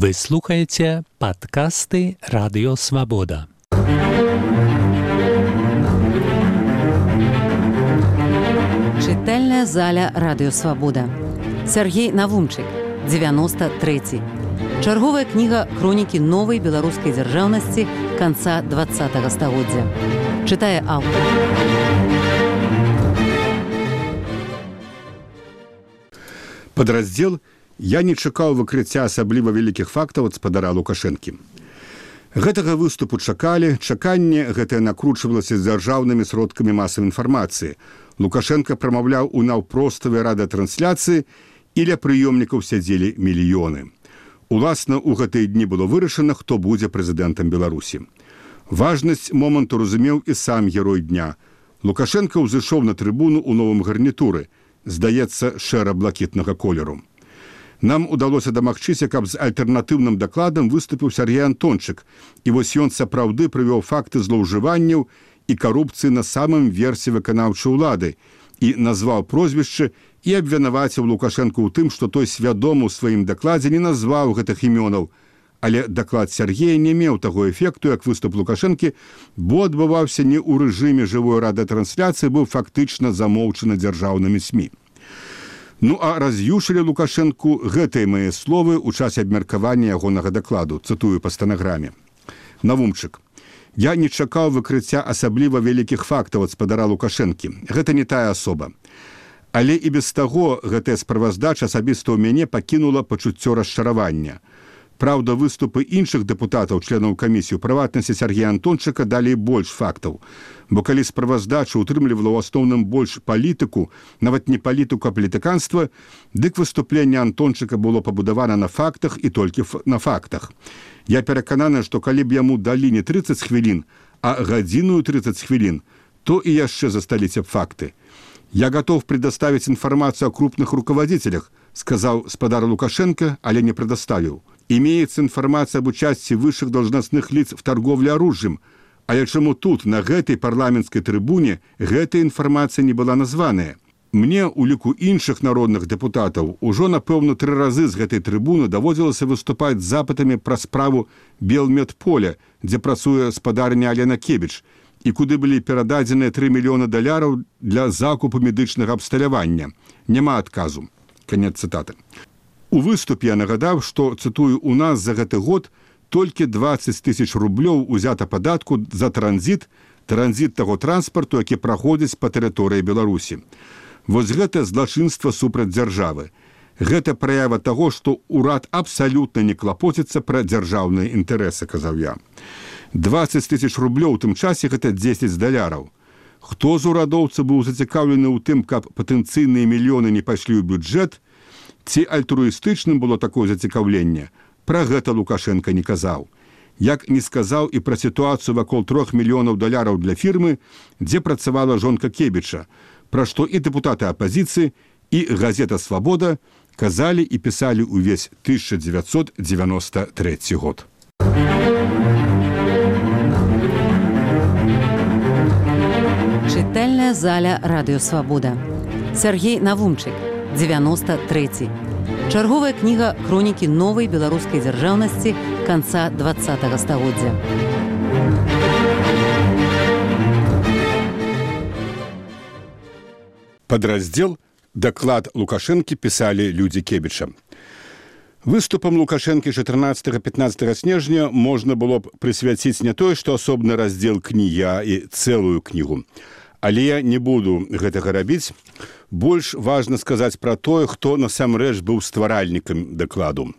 Вы слухаете подкасты «Радио Свобода». Чытальная заля «Радио Свобода». Сергей Навумчык, 93. Чарговая кніга хронікі новай беларускай дзяржаўнасці канца 20-го стагоддзя. Чытае аўтар. Падраздзел «Я не чакаў выкрыцця асабліва вялікіх фактаў ад спадара Лукашэнкі». Гэтага выступу чакалі, чаканне гэтае накручвалася з дзяржаўнымі сродкамі масавай інфармацыі. Лукашенко прамаўляў у наўпроставай радыётрансляцыі, і ля прыёмнікаў сядзелі мільёны. Уласна, у гэтыя дні было вырашана, хто будзе прэзідэнтам Беларусі. Важнасць моманту разумеў і сам герой дня. Лукашенко ўзышоў на трыбуну ў новым гарнітуры, здаецца, шэра-блакітнага колеру. Нам удалося дамагчыся, каб з альтэрнатыўным дакладам выступіў Сергей Антончык, і вось ён сапраўды прывёў факты злоўжыванняў і карупцыі на самым версе выканаўчай улады і назваў прозвішчы і абвінаваціў Лукашэнку ў тым, што той свядома ў сваім дакладзе не назваў гэтых імёнаў. Але даклад Сергея не меў таго эфекту, як выступ Лукашэнкі, бо адбываўся не ў рэжыме жывой радыётрансляцыі, быў фактычна замоўчаны дзяржаўнымі СМІ. Ну а раз'юшылі Лукашэнку гэтыя мае словы ў часе абмеркавання ягонага дакладу, цытую па стэнаграме. Навумчык. Я не чакаў выкрыцця асабліва вялікіх фактаў ад спадара Лукашэнкі. Гэта не тая асоба. Але і без таго гэтая справаздача асабіста ў мяне пакінула пачуццё расчаравання. Праўда, выступы іншых дэпутатаў, членаў камісіі, у прыватнасці Сергея Антончыка, далі больш фактаў. Бо калі справаздача утрымлівала ў асноўным больш палітыку, нават не палітыку, а палітыканства, дык выступленне Антончыка было пабудавана на фактах і толькі на фактах. Я перакананы, што калі б яму далі не 30 хвілін, а гадзіну 30 хвілін, то і яшчэ засталіся б факты. «Я готов предоставить информацию о крупных руководителях», сказал спадар Лукашенко, але не предоставил. «Имеется информация об участии высших должностных лиц в торговле оружием, але чему тут, на гэтай парламентской трибуне, гэтая информация не была названая? Мне, у ліку іншых народных депутатаў, ужо, напэўна, 3 разы з гэтай трыбуны даводзілася выступаць з запытамі пра справу Белмедполя, дзе працуе спадарня Алена Кебіч, і куды былі перададзеныя $3 мільёны для закупу медычнага абсталявання. Няма адказу». Канец цытаты. У выступе я нагадаў, што, цытую, у нас за гэты год толькі 20 000 рублёў узята падатку за транзіт таго транспарту, які праходзіць па тэрыторыі Беларусі. Вось гэта злачынства супраць дзяржавы. Гэта праява таго, што ўрад абсалютна не клапоціцца пра дзяржаўныя інтарэсы, казаў я. 20 000 рублёў у тым часе гэта $10. Хто з урадоўцаў быў зацікаўлены ў тым, каб патэнцыйныя мільёны не пайшлі ў бюджэт, ці альтруістычным было такое зацікаўленне? Пра гэта Лукашенко не казаў. Як не сказаў і пра сітуацыю вакол $3 мільёнаў для фірмы, дзе працавала жонка Кебіча, пра што і дэпутаты апазіцыі, і газета «Свабода» казалі і пісалі ўвесь 1993 год. Чытальная заля «Радио Свобода». Сергей Навумчык, 93. Чарговая кніга хронікі новай беларускай дзяржаўнасці канца 20-го стагоддзя. Падраздзел «Даклад Лукашэнкі» пісалі людзі Кебіча. Выступам Лукашэнкі 14-15 снежня можна было б прысвяціць не тое, што асобны раздзел кнігі, а і цэлую кнігу. Але я не буду гэтага рабіць. Больш важна сказаць пра тое, хто насамрэч быў стваральнікам дакладу.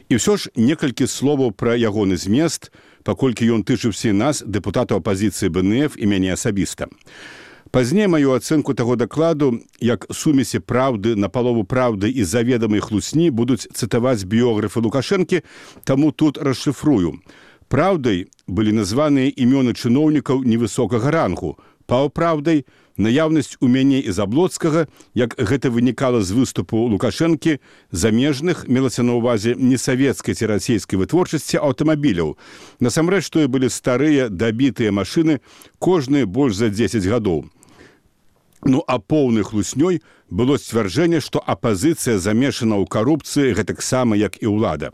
І ўсё ж некалькі словаў пра ягоны змест, паколькі ён тычыўся нас, дэпутатаў апазіцыі БНФ і мяне асабіста. Пазней маю ацэнку таго дакладу, як сумесі праўды, напалову праўды і заведамай хлусні будуць цытаваць біёграфы Лукашэнкі, таму тут расшыфрую. Праўдай былі названыя імёны чыноўнікаў невысокага рангу, паўпраўдай наяўнасць у мяне і Заблоцкага, як гэта вынікала з выступу Лукашэнкі, замежных, мелася на ўвазе не савецкай ці расійскай вытворчасці аўтамабіляў. Насамрэч, тое былі старыя, дабітыя машыны, кожныя больш за 10 гадоў. Ну а поўнай хлуснёй было сцвярджэнне, што апазіцыя замешана ў карупцыі гэтаксама, як і ўлада.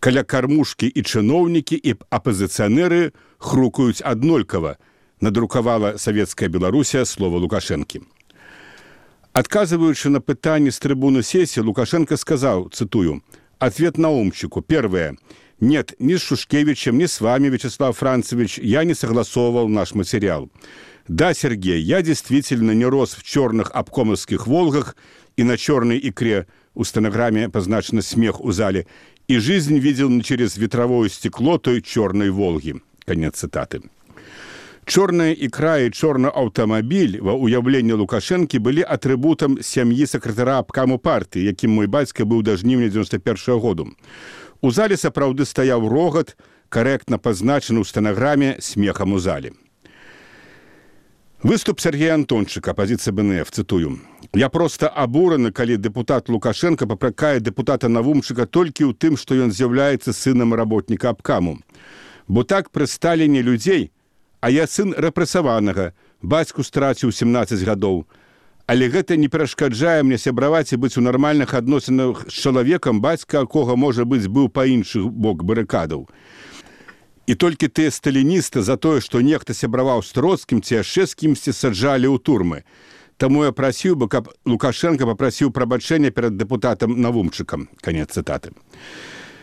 Каля кармушкі і чыноўнікі, і апазіцыянеры хрукаюць аднолькава, надрукавала савецкая Беларусія слова Лукашэнкі. Адказываючы на пытанне з трыбуны сессии, Лукашенко сказал, цитую, «Ответ Наумчику. Первое. Нет, ни с Шушкевичем, ни с вами, Вячеслав Францевич, я не согласовывал наш материал. Да, Сергей, я действительно не рос в черных обкомовских «Волгах» и на черной икре, у стенограмме позначено «смех у зале», и жизнь видел не через ветровое стекло той черной «Волги». Конец цитаты. Чорная ікра і чорны аўтамабіль ва ўяўленні Лукашэнкі былі атрыбутам сям'і сакратара абкаму партыі, якім мой бацька быў да жніўня 91-го году. У зале сапраўды стаяў рогат, карэктна пазначаны ў стэнаграме смехам у зале. Выступ Сергея Антончыка, апозіцыя БНФ, цытую. «Я проста абураны, калі дэпутат Лукашенко папракае дэпутата Навумчыка толькі ў тым, што ён з'яўляецца сынам работніка абкаму. Бо так пры Сталіне людзей, а я сын рэпрэсаванага, бацьку страціў 17 гадоў. Але гэта не перашкаджае мне сябраваць і быць у нармальных адносінах з чалавекам, бацька якога, можа быць, быў па іншы бок барыкадаў. І толькі тыя сталіністы за тое, што нехта сябраваў з Троцкім ці яшчэ з кімсьці саджалі ў турмы. Таму я прасіў бы, каб Лукашенко папрасіў прабачэння перад дэпутатам Навумчыкам». Канец цытаты.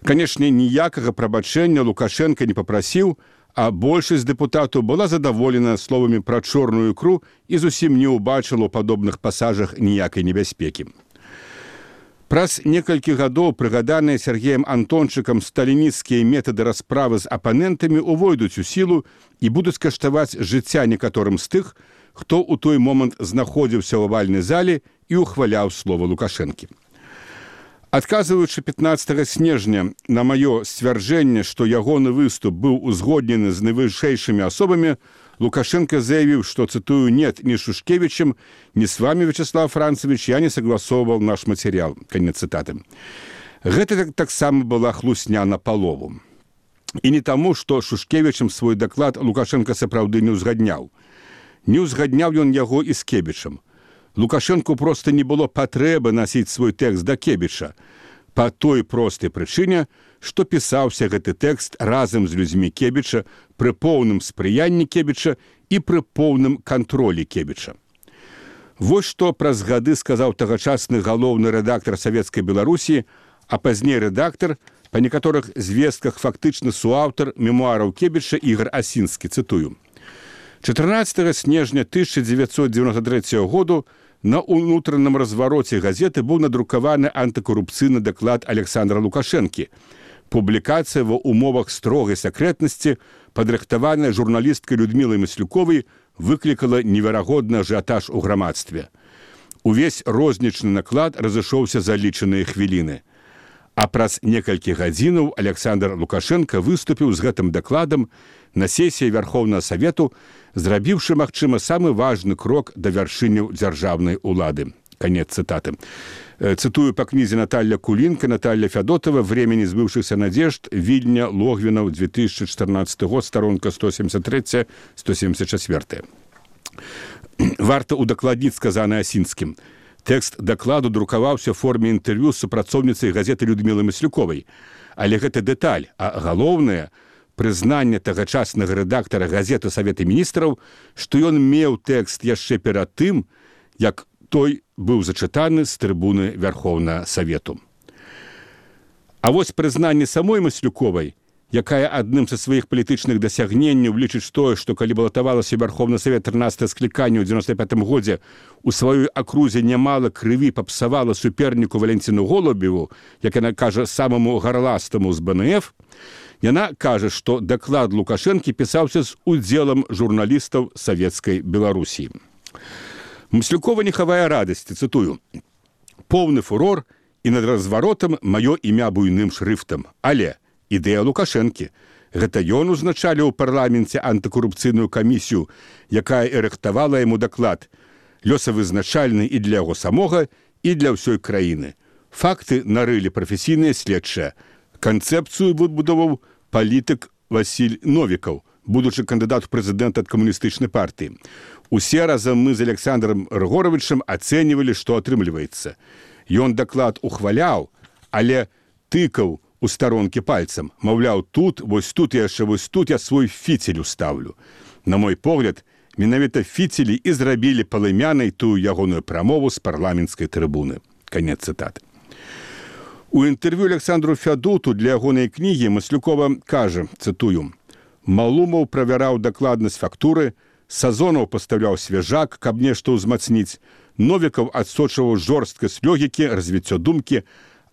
Канешне, ніякага прабачэння Лукашенко не папрасіў, а большасць дэпутатаў была задаволена словамі пра чорную ікру і зусім не ўбачыла ў падобных пасажах ніякай небяспекі. Праз некалькі гадоў прыгаданыя Сергеем Антончыкам сталінісцкія метады расправы з апанентамі увойдуць у сілу і будуць каштаваць жыцця некаторым з тых, хто ў той момант знаходзіўся ў авальнай зале і ухваляў слова Лукашэнкі. Адказваючы 15 снежня на маё сцвярджэнне, што ягоны выступ быў узгоднены з найвышэйшымі асобамі, Лукашенко заявіў, што, цитую, «Нет, ни с Шушкевичем, ни с вами, Вячеслав Францевич, я не согласовывал наш материал». Конец цитаты. Гэта таксама была хлусня на палову. І не таму, што Шушкевичем свой даклад Лукашенко сапраўды не ўзгадняў. Не ўзгадняў ён яго і з Кебічам. Лукашенку просто не было патрэбы насіць свой тэкст да Кебіча па той простай прычыне, што пісаўся гэты тэкст разам з людзьмі Кебіча пры поўным спрыянні Кебіча і пры поўным кантролі Кебіча. Вось што праз гады сказаў тагачасны галоўны рэдактар Савецкай Беларусі, а пазней рэдактар, па некаторых звестках фактычна суаўтар мемуараў Кебіча Ігор Асінскі, цытую. 14 снежня 1993 году на ўнутраным развароце газеты быў надрукаваны антыкарупцыйны даклад Александра Лукашэнкі. Публікацыя ва ўмовах строгай сакрэтнасці, падрыхтаваная журналісткай Людмілай Маслюковай, выклікала неверагодны ажыятаж у грамадстве. Увесь рознічны наклад разышоўся за лічаныя хвіліны. А праз некалькі гадзінаў Александр Лукашенко выступіў з гэтым дакладам на сесіі Вярхоўнага Савету, зрабіўшы, магчыма, самы важны крок да вяршыняў дзяржаўнай улады. Конец цитаты. Цитую по книге Наталья Кулинка, Наталья Федотова «Время несбывшихся надежд. Вильня, Логвинов, 2014 год, сторонка 173-174». Варта удакладніць сказанае Асінскім. Тэкст дакладу друкаваўся ў форме інтэрв'ю з супрацоўніцай газеты Людмілай Маслюковай. Але гэта дэталь, а галоўнае прызнанне тагачаснага рэдактара газеты Савета міністраў, што ён меў тэкст яшчэ перад тым, як той быў зачытаны з трыбуны Вярхоўнага Савету. А вось прызнанне самой Маслюковай, якая адным са сваіх палітычных дасягненняў лічыць тое, што калі балатавалася Вярхоўны Савет 13 скліканне ў 95 годзе, у сваёй акрузе нямала крыві папсавала суперніку Валентину Голубеву, як яна кажа, самаму гарластаму з БНФ, яна кажа, што даклад Лукашэнкі пісаўся з удзелам журналістаў Савецкай Беларусі. Маслюкова не хавае радасці, цытую, «Поўны фурор, і над разваротам маё імя буйным шрыфтам. Але ідэя Лукашэнкі. Гэта ён узначаліў у парламенце антыкарупцыйную камісію, якая і рыхтавала яму даклад, лёсавызначальны і для яго самога, і для ўсёй краіны. Факты нарылі прафесійныя следчыя. Канцэпцыю выбудаваў палітык Васіль Новікаў, будучы кандыдат у прэзідэнта ад камуністычнай партыі. Усе разам мы з Александром Рыгоровичем ацэньвалі, што атрымліваецца. Ён даклад ухваляў, але тыкаў у старонкі пальцам. Маўляў, тут, вось тут і яшчэ вось тут я свой фіцель уставлю. На мой погляд, менавіта фіцелі і зрабілі палымянай тую ягоную прамову з парламенцкай трыбуны. Канец цытаты. У інтэрв'ю Александру Фядуту для ягонай кнігі Маслюкова кажа, цытую, «Малумаў правяраў дакладнасць фактуры, Сазонаў пастаўляў свяжак, каб нешта ўзмацніць, Новікаў адсочваў жорсткасць логікі, развіццё думкі,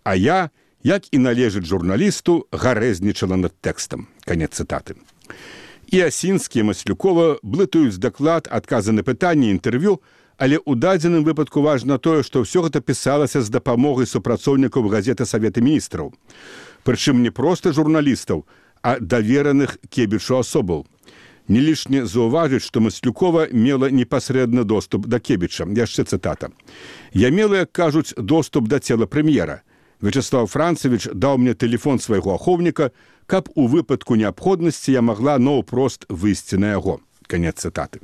а я, як і належыць журналісту, гарэзнічала над тэкстам». Канец цытаты. І Асінскі і Маслюкова блытаюць даклад, адказы на пытанні, інтэрв'ю, але ў дадзеным выпадку важна тое, што ўсё гэта пісалася з дапамогай супрацоўнікаў газеты Савета міністраў. Прычым не проста журналістаў, а давераных Кебічу асобаў. Не лішне заўважыць, што Маслюкова мела непасрэдны доступ да Кебіча. Яшчэ цытата. «Я мела, як кажуць, доступ да цела прэм'ера. Вячеслав Францевич даў мне тэлефон свайго ахоўніка, каб у выпадку неабходнасці я магла наўпрост выйсці на яго». Канец цытаты.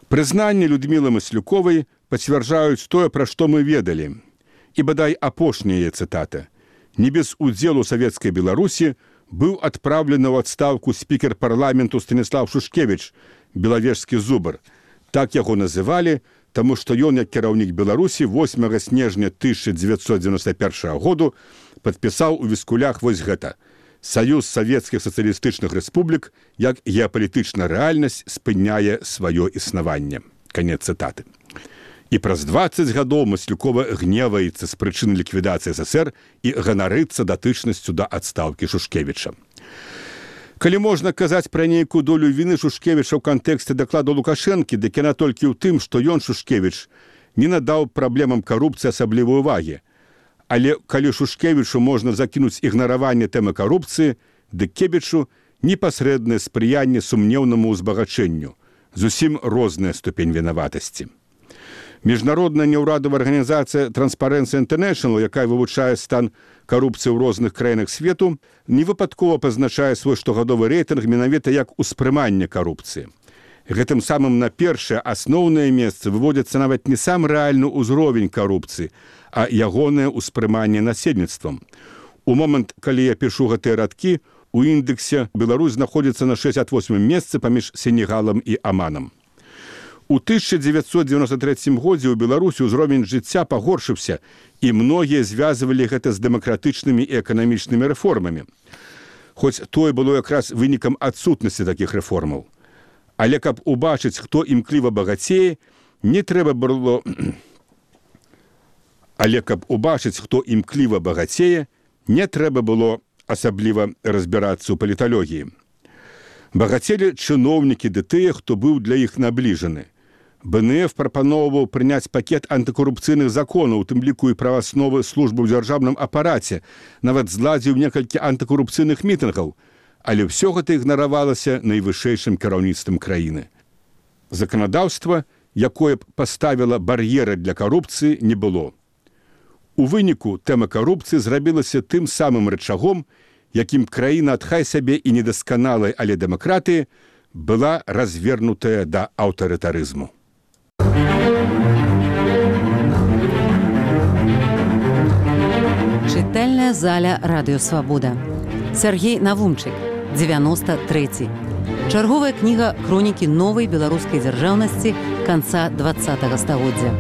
Прызнанні Людмілы Маслюковай пацвярджаюць тое, пра што мы ведалі. І бадай апошняя яе цытата. «Не без удзелу савецкай Беларусі быў адпраўлены ў адстаўку спікер парламенту Станіслав Шушкевіч, белавежскі зубр. Так яго называлі, таму што ён, як кіраўнік Беларусі, 8 снежня 1991 году падпісаў у віскулях вось гэта. Саюз савецкіх сацыялістычных рэспублік як геапалітычная рэальнасць спыняе сваё існаванне». Канец цытаты. І праз 20 гадоў Маслюкова гневаецца з прычыны ліквідацыі СССР і ганарыцца датычнасцю да адстаўкі Шушкевіча. Калі можна казаць пра нейкую долю віны Шушкевіча ў кантэксце дакладу Лукашэнкі, дык яна толькі ў тым, што ён, Шушкевіч, не надаў праблемам карупцыі асаблівай увагі. Але калі Шушкевічу можна закінуць ігнараванне тэмы карупцыі, дык Кебічу непасрэднае спрыянне сумнеўнаму ўзбагачэнню. Зусім розная ступень вінаватасці. Міжнародная неўрадавая арганізацыя Transparency International, якая вывучае стан карупцыі ў розных краінах свету, невыпадкова пазначае свой штогадовы рэйтынг менавіта як успрыманне карупцыі. Гэтым самым на першае асноўнае месца выводзіцца нават не сам рэальны ўзровень карупцыі, а ягонае ўспрыманне насельніцтвам. У момант, калі я пішу гэтыя радкі, у індексе Беларусь знаходзіцца на 68 месцы паміж Сенегалам і Аманам. У 1993 годзе ў Беларусі ўзровень жыцця пагоршыўся, і многія звязвалі гэта з дэмакратычнымі і эканамічнымі рэформамі. Хоць тое было якраз вынікам адсутнасці такіх рэформаў. Але каб убачыць, хто імкліва багацее, не трэба было... Але каб убачыць, хто імкліва багацее, не трэба было асабліва разбірацца ў паліталогіі. Багацелі чыноўнікі ды тыя, хто быў для іх набліжаны. БНФ прапаноўваў прыняць пакет антыкарупцыйных законаў, у тым ліку і правасновы службы ў дзяржаўным апараце, нават зладзіў некалькі антыкарупцыйных мітынгаў, але ўсё гэта ігнаравалася найвышэйшым кіраўніцтвам краіны. Заканадаўства, якое б паставіла бар'еры для карупцыі, не было. У выніку тэма карупцыі зрабілася тым самым рычагом, якім краіна ад хай сабе і недасканалай, але дэмакратыі была развернутая да аўтарытарызму. Чытальная заля Радыё Свабода. Сергей Навумчык, 93. Чарговая кніга хронікі новай беларускай дзяржаўнасці канца 20 стагоддзя.